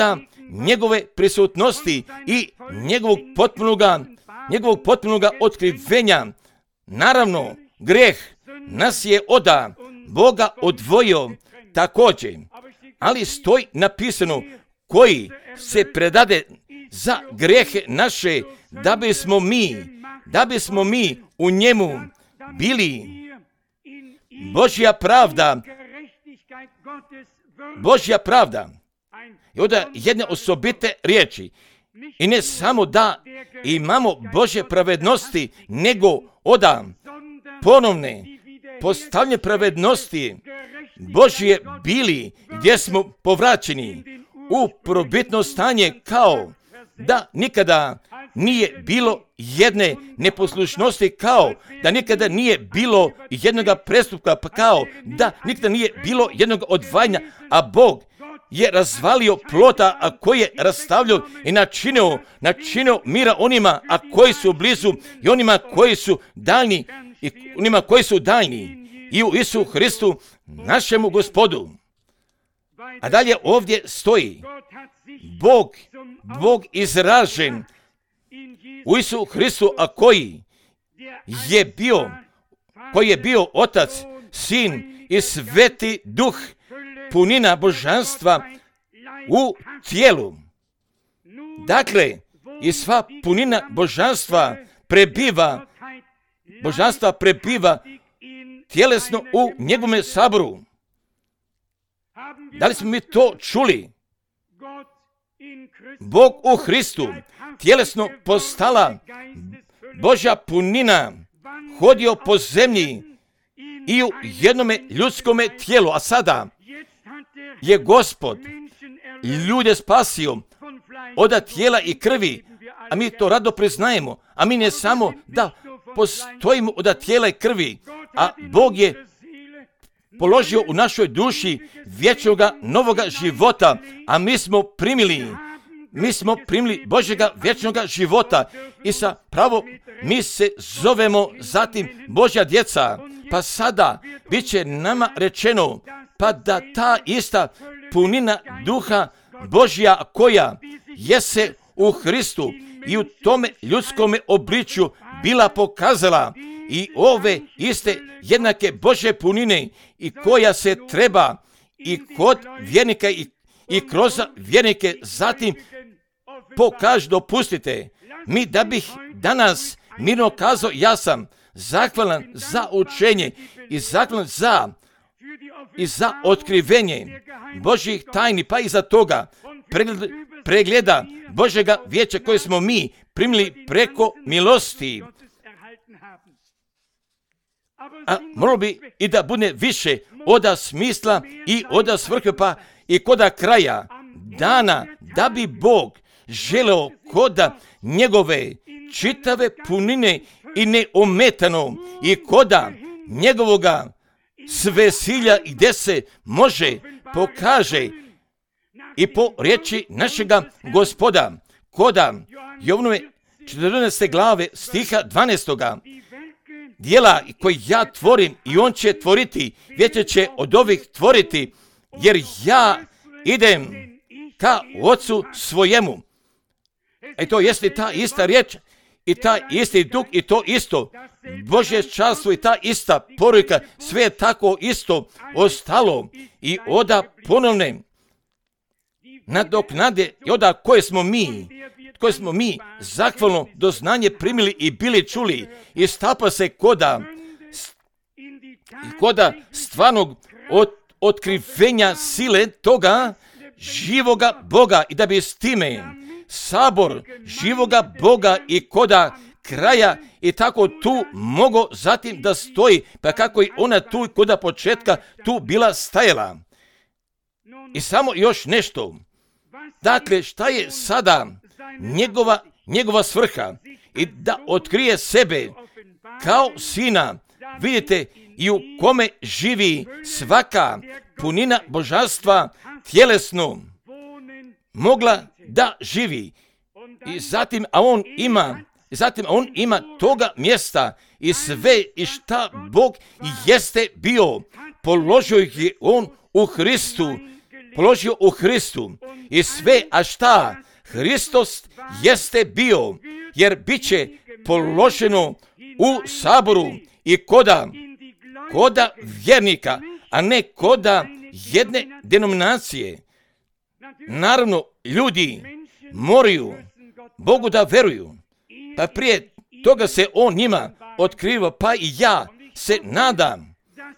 njegove prisutnosti i njegovog potpunoga njegovog potpunoga otkrivenja. Naravno, grijeh nas je od Boga odvojio također, ali stoji napisano koji se predade za grijehe naše, da bismo mi, da bismo mi u njemu bili Božja pravda, Božja pravda. I onda jedne osobite riječi. I ne samo da imamo Božje pravednosti, nego oda ponovne postavljanje pravednosti Božje bili, gdje smo povraćeni u prvobitno stanje, kao da nikada nije bilo jedne neposlušnosti, kao da nikada nije bilo jednog prestupka, pa kao da nikada nije bilo jednog odvajanja, a Bog je razvalio plota, a koji je rastavljao i načinio, načinio mira onima, a koji su blizu i onima koji su daljni i onima koji su daljni i u Isu Hristu, našemu Gospodu. A dalje ovdje stoji, Bog, Bog izražen u Isu Hristu, a koji je bio, koji je bio Otac, Sin i Sveti Duh, punina božanstva u tijelu. Dakle, i sva punina božanstva prebiva, božanstva prebiva tjelesno u njegovome saboru. Da li smo mi to čuli? Bog u Hristu tjelesno postala Božja punina, hodio po zemlji i u jednome ljudskome tijelu, a sada je Gospod ljude spasio od tijela i krvi, a mi to rado priznajemo, a mi ne samo da postojimo od tijela i krvi, a Bog je položio u našoj duši vječnoga novoga života, a mi smo primili, mi smo primili Božjega vječnoga života i sa pravo mi se zovemo zatim Božja djeca. Pa sada bit će nama rečeno, pa da ta ista punina duha Božja koja jese u Hristu i u tome ljudskome obličju bila pokazala i ove iste jednake Božje punine i koja se treba i kod vjernika i, i kroz vjernike zatim pokaže. Dopustite mi da bih danas mirno kazao, ja sam zahvalan za učenje i zahvalan za i za otkrivenje Božjih tajni, pa i za toga pregleda, pregleda Božjega vijeća koje smo mi primili preko milosti. A moralo bi i da bude više oda smisla i oda svrhe, pa i koda kraja dana, da bi Bog želeo koda njegove čitave punine i neometano i koda njegovoga svesilja gdje se može pokaže i po riječi našega Gospoda koda Jovnove četrnaeste glave stiha dvanaestoga dijela koji ja tvorim i on će tvoriti, vijeće će od ovih tvoriti, jer ja idem ka Ocu svojemu. E to jeste ta ista riječ i ta isti duh i to isto Božje čarstvo i ta ista poruka, sve je tako isto ostalo i oda ponovne nadoknade i oda koje smo mi, koje smo mi zahvalno doznanje primili i bili čuli i stapa se koda, koda stvarnog od, otkrivenja sile toga živoga Boga i da bi s time sabor živoga Boga i koda kraja i tako tu mogo zatim da stoji, pa kako i ona tu koda početka tu bila stajala. I samo još nešto. Dakle, šta je sada njegova, njegova svrha? I da otkrije sebe kao sina, vidite, i u kome živi svaka punina božanstva tjelesno mogla da živi. I zatim, a on ima, i zatim on ima toga mjesta i sve i šta Bog jeste bio, položio je on u Hristu, položio u Hristu i sve, a šta Hristos jeste bio, jer bit će položeno u saboru i koda, koda vjernika, a ne koda jedne denominacije. Naravno, ljudi moraju Bogu da veruju, pa prije toga se on njima otkriva, pa i ja se nadam,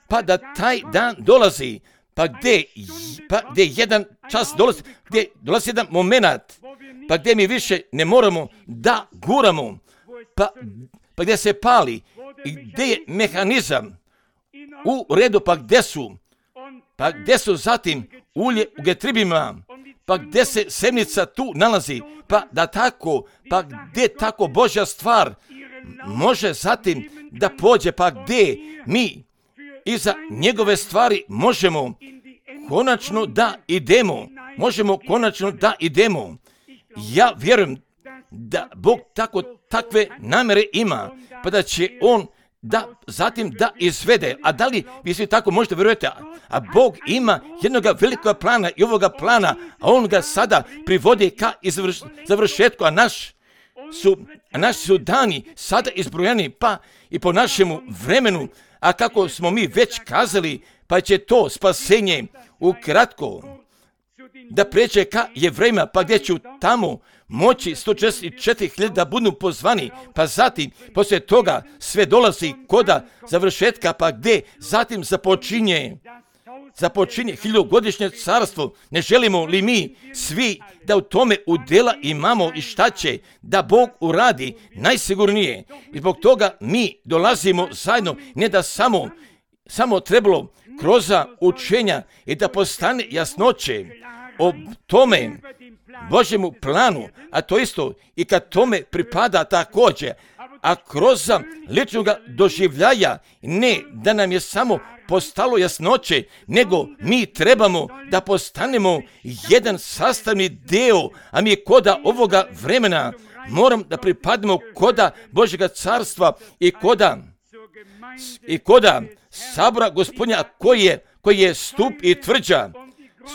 pa da taj dan dolazi, pa gdje, pa gdje jedan čas dolazi, gdje dolazi jedan moment, pa gdje mi više ne moramo da guramo, pa, pa gdje se pali, i gdje je mehanizam u redu, pa gdje su, pa gdje su zatim ulje u getribima, pa gdje se semnica tu nalazi, pa da tako, pa gdje tako Božja stvar može zatim da pođe, pa gdje mi iza njegove stvari možemo konačno da idemo, možemo konačno da idemo. Ja vjerujem da Bog tako takve namere ima, pa da će on da zatim da izvede. A da li vi svi tako možete vjerujete? A Bog ima jednoga velikog plana i ovoga plana, a on ga sada privodi ka izvrš, završetku, a naš su, naši su dani sada izbrojani, pa i po našemu vremenu, a kako smo mi već kazali, pa će to spasenje ukratko da pređe ka Jevrejima, pa gdje ću tamo moći sto četrdeset četiri hiljade da budu pozvani, pa zatim poslije toga sve dolazi koda završetka, pa gdje zatim započinje započinje hiljadugodišnje carstvo. Ne želimo li mi svi da u tome udjela imamo i šta će da Bog uradi najsigurnije? I zbog toga mi dolazimo zajedno, ne da samo, samo trebalo kroz učenja i da postane jasnoće o tome Božjemu planu, a to isto i kad tome pripada također, a kroz ličnog doživljaja, ne da nam je samo postalo jasnoće, nego mi trebamo da postanemo jedan sastavni deo, a mi koda ovoga vremena moram da pripademo koda Božjega carstva i koda i koda sabora Gospodnja koji je, koji je stup i tvrđa,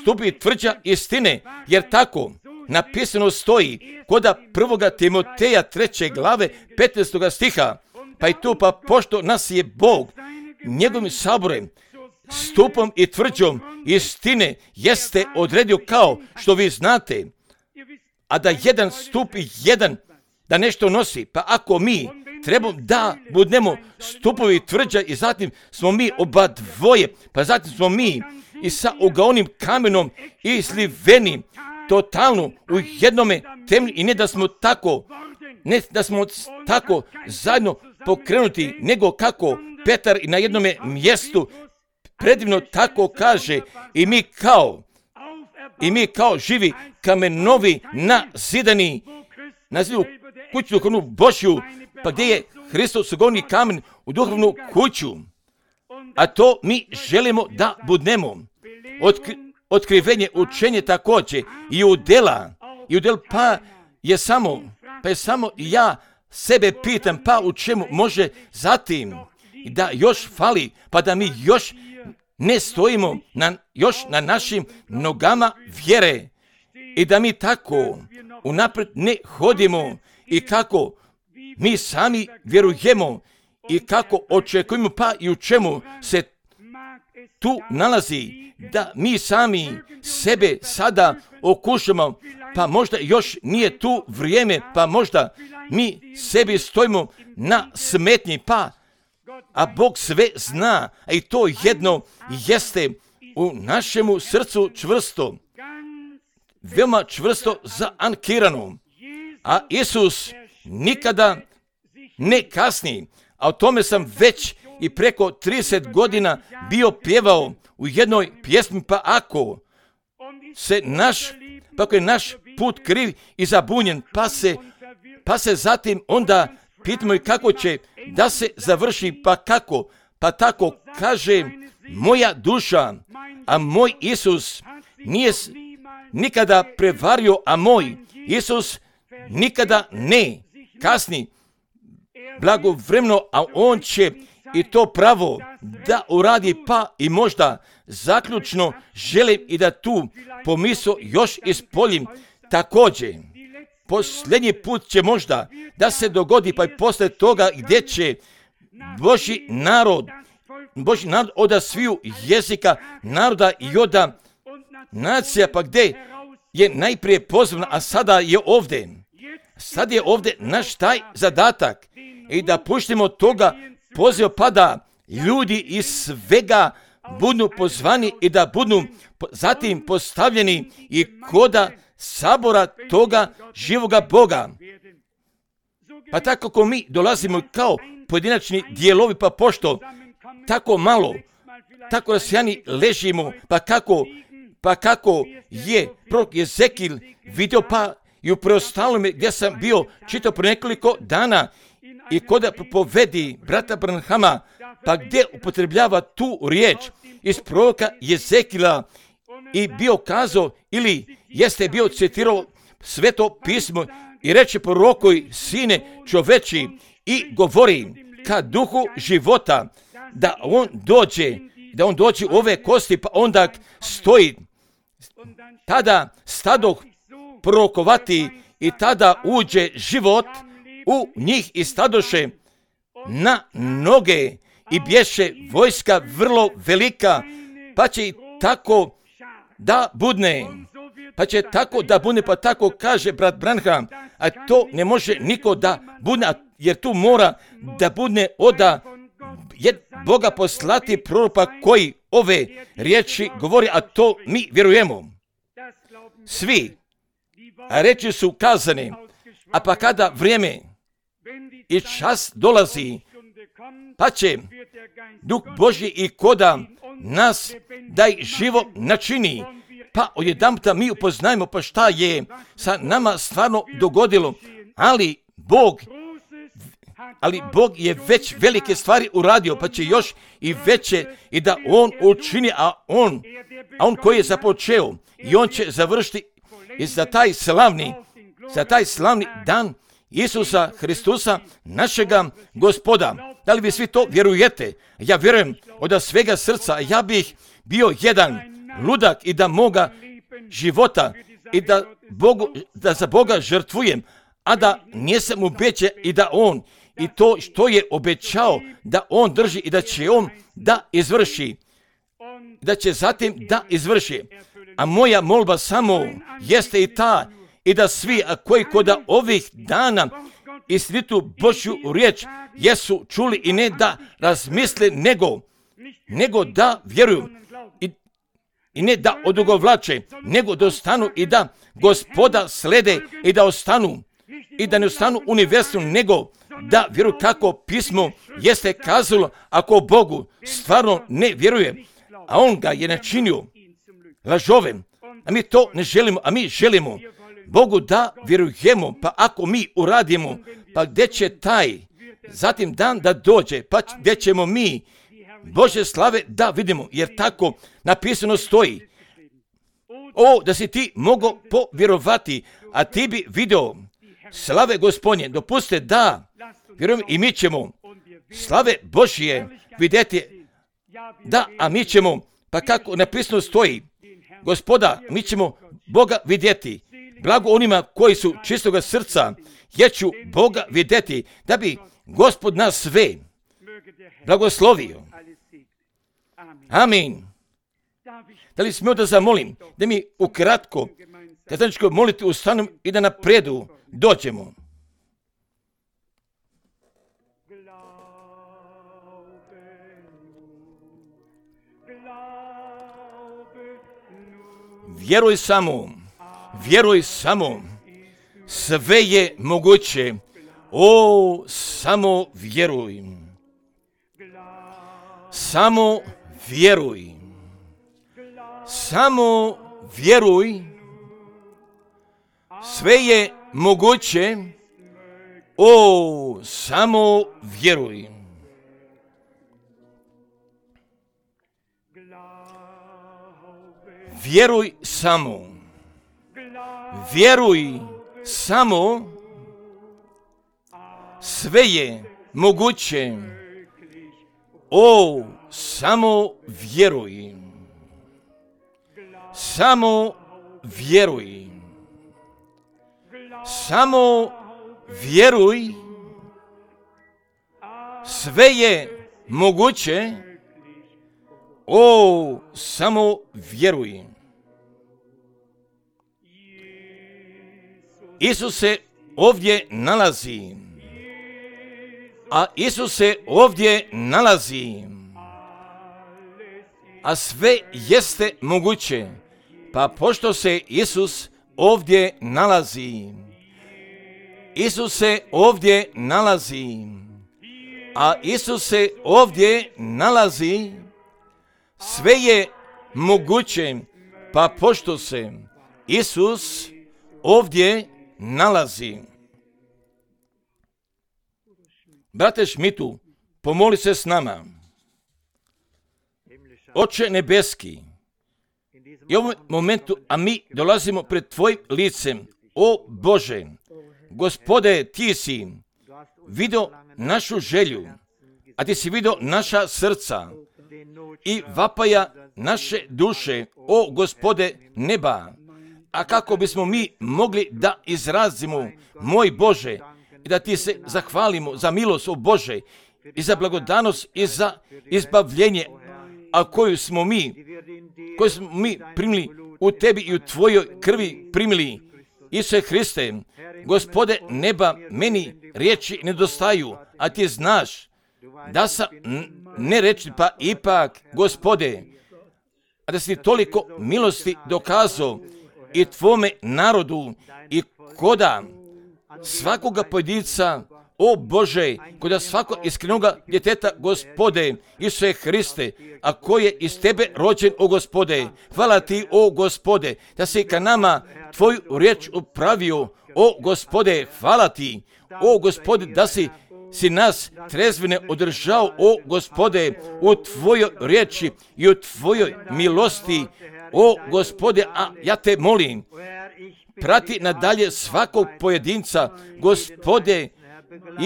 stup i tvrđa istine, jer tako napisano stoji koda prvoga Timoteja treće glave petnaestoga stiha, pa i tu pa pošto nas je Bog njegovim saborem, stupom i tvrđom istine jeste odredio kao što vi znate, a da jedan stup i jedan da nešto nosi, pa ako mi trebamo da budemo stupovi tvrđa i zatim smo mi oba dvoje, pa zatim smo mi i sa ugaonim kamenom i sliveni totalno u jednome temelju i ne da smo tako, ne da smo tako zajedno pokrenuti, nego kako Petar na jednome mjestu predivno tako kaže i mi kao i mi kao živi kamenovi na zidani na zidu kuću duhovnu Božju, pa gdje je Hristos ugaoni kamen u duhovnu kuću, a to mi želimo da budemo. Otkri, otkrivenje, učenje također i udjela, i udjel pa je samo, pa je samo ja sebe pitam, pa u čemu može zatim da još fali, pa da mi još ne stojimo na, još na našim nogama vjere i da mi tako unaprijed ne hodimo i kako mi sami vjerujemo i kako očekujemo, pa i u čemu se tu nalazi, da mi sami sebe sada okušamo, pa možda još nije tu vrijeme, pa možda mi sebi stojimo na smetnji, pa a Bog sve zna, a i to jedno jeste u našemu srcu čvrsto, veoma čvrsto zaankirano, a Isus nikada ne kasni, a o tome sam već i preko trideset godina bio pjevao u jednoj pjesmi, pa ako se naš, pa ako je naš put kriv i zabunjen, pa se, pa se zatim onda pitamo i kako će da se završi, pa kako, pa tako kaže moja duša, a moj Isus nije nikada prevario, a moj Isus nikada ne kasni blagovremeno, a on će i to pravo da uradi, pa i možda zaključno želim i da tu pomisao još ispoljim također. Posljednji put će možda da se dogodi, pa i poslije toga gdje će Božji narod, Božji narod od sviju jezika, naroda i od nacija, pa gdje je najprije pozvan, a sada je ovdje. Sad je ovdje naš taj zadatak i da puštimo toga poziva, pa da ljudi iz svega budu pozvani i da budu zatim postavljeni i koda sabora toga živoga Boga. Pa tako kako mi dolazimo kao pojedinačni dijelovi, pa pošto tako malo, tako rasijani ležimo, pa kako, pa kako je prorok Jezekil vidio, pa i u preostalome gdje sam bio čitao pre nekoliko dana i koda propovedi brata Branhama, pa gdje upotrebljava tu riječ iz proroka Jezekila i bio kazao ili jeste bio citirao sveto pismo i reče prorokoj sine čoveči i govori ka duhu života da on dođe, da on dođe u ove kosti, pa onda stoji. Tada stadoh prorokovati i tada uđe život, u njih i stadoše na noge i bješe vojska vrlo velika, pa će i tako da budne. Pa će tako da budne, pa tako kaže brat Branham, a to ne može niko da budne, jer tu mora da budne oda je Boga poslati proroka koji ove riječi govori, a to mi vjerujemo. Svi, a reči su kazane, a pa kada vrijeme i čas dolazi, pa će Duh Božji i koda nas da i živo načini, pa odjedanputa mi upoznajemo pa šta je sa nama stvarno dogodilo, ali Bog ali Bog je već velike stvari uradio, pa će još i veće i da On učini, a On, a On koji je započeo i On će završiti i za taj slavni, za taj slavni dan Isusa Hristusa, našega Gospoda. Da li vi svi to vjerujete? Ja vjerujem od svega srca, ja bih bio jedan ludak i da moga života i da, Bogu, da za Boga žrtvujem, a da nisam ubeđen i da On i to što je obećao da On drži i da će On da izvrši, da će zatim da izvrši. A moja molba samo jeste i ta, i da svi, a koji kod ovih dana istinitu Božju riječ jesu čuli i ne da razmisle, nego, nego da vjeruju i, i ne da odugovlače, nego da ostanu i da Gospoda slede i da ostanu i da ne ostanu univerzum, nego da vjeruju kako pismo jeste kazalo, ako Bogu stvarno ne vjeruje, a On ga je načinio lažovem, a mi to ne želimo, a mi želimo Bogu da vjerujemo, pa ako mi uradimo, pa gdje će taj zatim dan da dođe, pa gdje ćemo mi Bože slave da vidimo, jer tako napisano stoji. O, da si ti mogao povjerovati, a ti bi video slave Gospodnje, dopuste da vjerujem i mi ćemo slave Božje vidjeti, da, a mi ćemo, pa kako napisano stoji, Gospoda, mi ćemo Boga vidjeti. Blago onima koji su čistoga srca, jer ću Boga vidjeti, da bi Gospod nas sve blagoslovio. Amin. Da li smio da zamolim, da mi ukratko, da zajedničko moliti ustanom i da napredu dođemo. Vjeruj samo, vjeruj samo, sve je moguće, o, samo vjeruj, samo vjeruj, samo vjeruj, sve je moguće, o, samo vjeruj. Vjeruj samo, vjeruj samo, sve je moguće, o, samo vjeruj, samo vjeruj, samo vjeruj, sve je moguće, o, samo vjeruj. Isus se ovdje nalazi, a Isus se ovdje nalazi, a sve jeste moguće, pa pošto se Isus ovdje nalazi, Isus se ovdje nalazi, a Isus se ovdje nalazi, sve je moguće, pa pošto se Isus ovdje nalazi. Brate Šmitu, pomoli se s nama. Oče nebeski, i u ovom momentu, a mi dolazimo pred Tvojim licem, o Bože, Gospode, Ti si vidio našu želju, a Ti si vidio naša srca i vapaja naše duše, o Gospode neba, a kako bismo mi mogli da izrazimo, moj Bože, i da ti se zahvalimo za milost, o Bože, i za blagodanost i za izbavljenje, a koju smo mi, koju smo mi primili u tebi i u tvojoj krvi primili. Isuse Hriste, Gospode neba, meni riječi nedostaju, a ti znaš da sam ne reći, pa ipak, Gospode, a da si toliko milosti dokazao i tvome narodu i koda svakoga pojedinca, o Bože, koda svakog iskrenoga djeteta, Gospode, Isuse Hriste, a koji je iz tebe rođen, o Gospode. Hvala ti, o Gospode, da si ka nama tvoju riječ upravio, o Gospode, hvala ti, o Gospode, da si si nas trezvene održao, o Gospode, u tvojoj riječi i u tvojoj milosti, o Gospode, a ja te molim, prati nadalje svakog pojedinca, Gospode,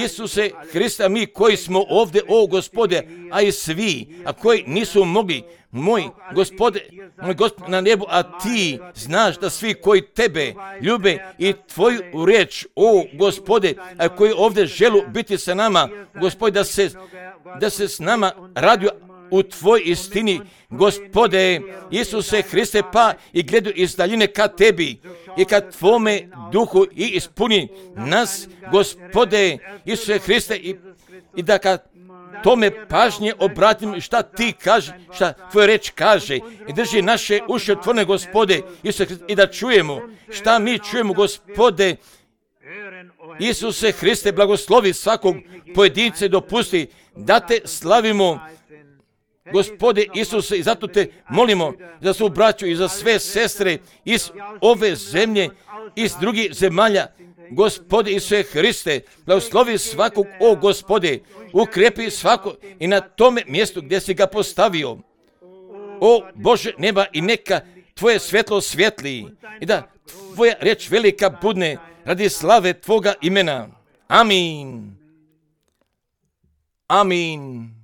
Isuse Hrista, mi koji smo ovdje, o Gospode, a i svi, a koji nisu mogli, moj Gospode, moj Gospod na nebu, a ti znaš da svi koji tebe ljube i tvoju riječ, o Gospode, a koji ovdje želu biti sa nama, Gospode, da se, da se s nama radi u tvoj istini, Gospode, Isuse Hriste, pa i gledaju iz daljine ka tebi i ka tvome duhu i ispuni nas, Gospode, Isuse Hriste, i, i da ka tome pažnje obratim šta ti kaže, šta tvoja reč kaže, i drži naše uši otvorene, Gospode, Isuse Hriste, i da čujemo šta mi čujemo, Gospode, Isuse Hriste, blagoslovi svakog pojedinca i dopusti da te slavimo, Gospode Isuse, i zato te molimo za svu braću i za sve sestre iz ove zemlje, iz drugih zemalja, Gospode Isuse Hriste, blagoslovi svakog, o Gospode, ukrepi svako i na tome mjestu gdje si ga postavio. O Bože neba, i neka tvoje svjetlo svjetli i da tvoja riječ velika budne radi slave tvoga imena. Amin. Amin.